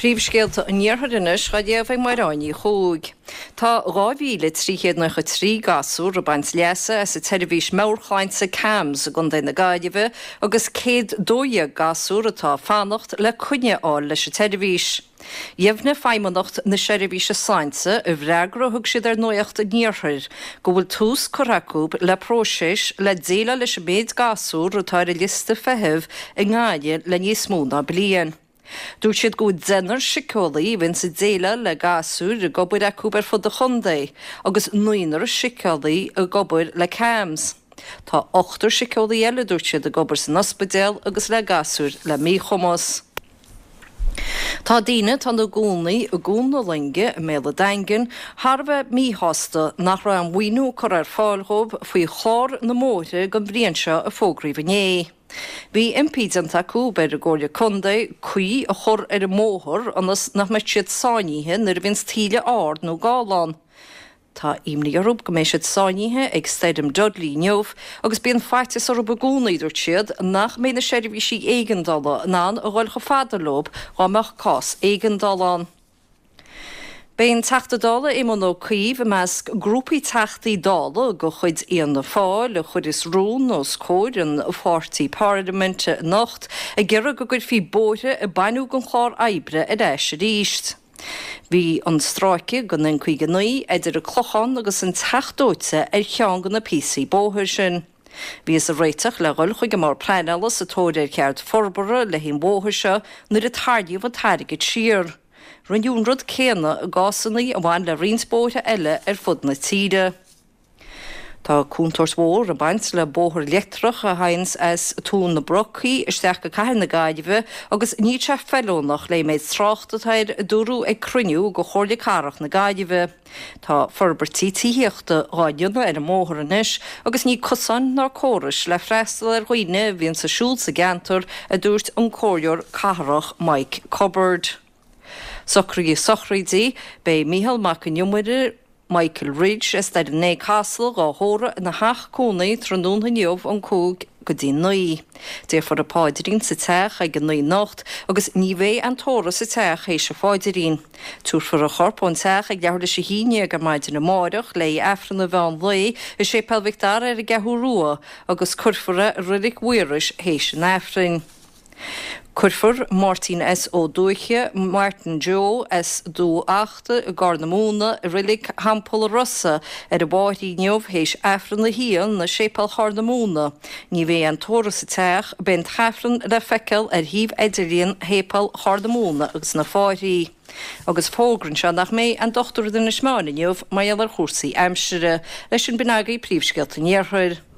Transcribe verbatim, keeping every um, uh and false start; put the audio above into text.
Príomhscéalta an Iarthair anois á léamh ag Máire Ní Chuaig. Tá dhá mhíle trí chéad nócha trí gasúr ag baint leasa as an tseirbhís meabhairshláinte CAMHS i gContae na Gaillimhe agus céad dó dhéag gasúr atá ag fanacht le coinne a fháil leis an tseirbhís. Dheimhnigh Feidhmeannacht na Seirbhíse Sláinte i bhfreagra a thug siad ar Nuacht an Iarthair go bhfuil tús curtha acu le próiseas le déileáil leis an méid gasúr atá ar an liosta feithimh i nGaillimh le níos mó ná bliain. Dúirt siad go bhfuil deichniúr síceolaí a bhíonns ag déileáil le gasúir ag obair acu ar fud an chontae agus naonúr síceolaí ag obair le CAMHS. Tá ochtar síceolaí eile dúirt siad ag obair san ospidéal agus le gasúir le míchumas. Tá daoine atá ina gcónaí i gCuan na Loinge i mBéal an Daingin thar a bheith míshásta nach raibh an maoiniú curtha ar fáil dhóibh faoi chlár na mbóithre don bhliain seo a fógraíodh inné. Bhí impí déanta acu ar an gComhairle Contae caoi a chur ar an mbóthar ionas nach mbeidh siad sáinnithe nuair a bhíonns taoille ard nó gála ann. Tá imní orthu go mbeidh siad sáinnithe ag Stoirm Dudley inniu agus bíonn faitíos orthu i gcónaí, dúirt siad, nach mbeidh na seirbhísí éigeandála in ann a dhul chomh fada leo dá mbeadh cás éigeandála ann. Beidh an Teachta Dála Éamon Ó Cuív i measc grúpaí Teachtaí Dála de chuid Fhianna Fáil a chuirfeas rún os comhair an pháirtí parlaiminte anocht ag iarraidh go gcuirfí bóithre a baineadh den chlár oibre ar ais arís. Bhí an stráice den N caoga naoi idir an Clochán agus an Teach Dóite ar cheann de na píosaí bóthair sin. Bhíothas ag réiteach le dhul chuig an mBord Pleanála sa tóir ar chead forbartha le haghaidh an bhóthair seo nuair a tarraingíodh an t-airgead siar. Rinneadh an rud céanna i gcásanna a bhain le roinnt bóithre eile ar fud na tíre. Tá contúirt mhór ag baint le bóthar leictreach a théanns as Tóin na Brocaí isteach go Cathair na Gaillimhe agus níl sé feiliúnach le méid tráchta atá air, a dúradh ag cruinniú de Chomhairle Cathrach na Gaillimhe. Tá forbairtí tithíochta dhá ndéanamh ar an mbóthar anois agus níl cosáin ná córais le freastal ar dhaoine a bhíonns ag siúl sa gceantar, a dúirt an Comhairleoir Cathrach Mike Cubbard. Socruithe sochraide, Beidh Mícheál Mac an Iomaire, Michael Ridge, as Doire Naomh Caslach dhá thórramh ina theach cónaí tráthnóna inniu ón cúig go dtí naoi. Déarfar an paidrín sa teach ag a naoi anocht agus ní bheidh aon tórramh sa teach théis an phaidrín. Tabharfar a chorp ón teach ag leathuair théis a haon déag ar maidin amárach le haghaidh Aifreann an mheán lae i Séipéal Mhic Dara ar an gCeathrú Rua agus cuirfear é i Reilig Mhaorais théis an Aifrinn. Cuirfear Máirtín S. Ó Dúiche, Martin Joe as Dumha Achta i gCorr na Móna i Reilig Theampall an Rosa ar an bhFáithrí inniu théis Aifreann a haon i Séipéal Chorr na Móna. Ní bheidh aon tórramh sa teach, beidh an tAifreann le feiceáil ar shuíomh idirlíon Shéipéal Chorr na Móna agus na Fáithrí. Agus fógra anseo nach mbeidh aon dochtúir in Inis Meáin inniu mar gheall ar chúrsaí aimsire. Leis sin b'in agaibh príomhscéalta an Iarthair.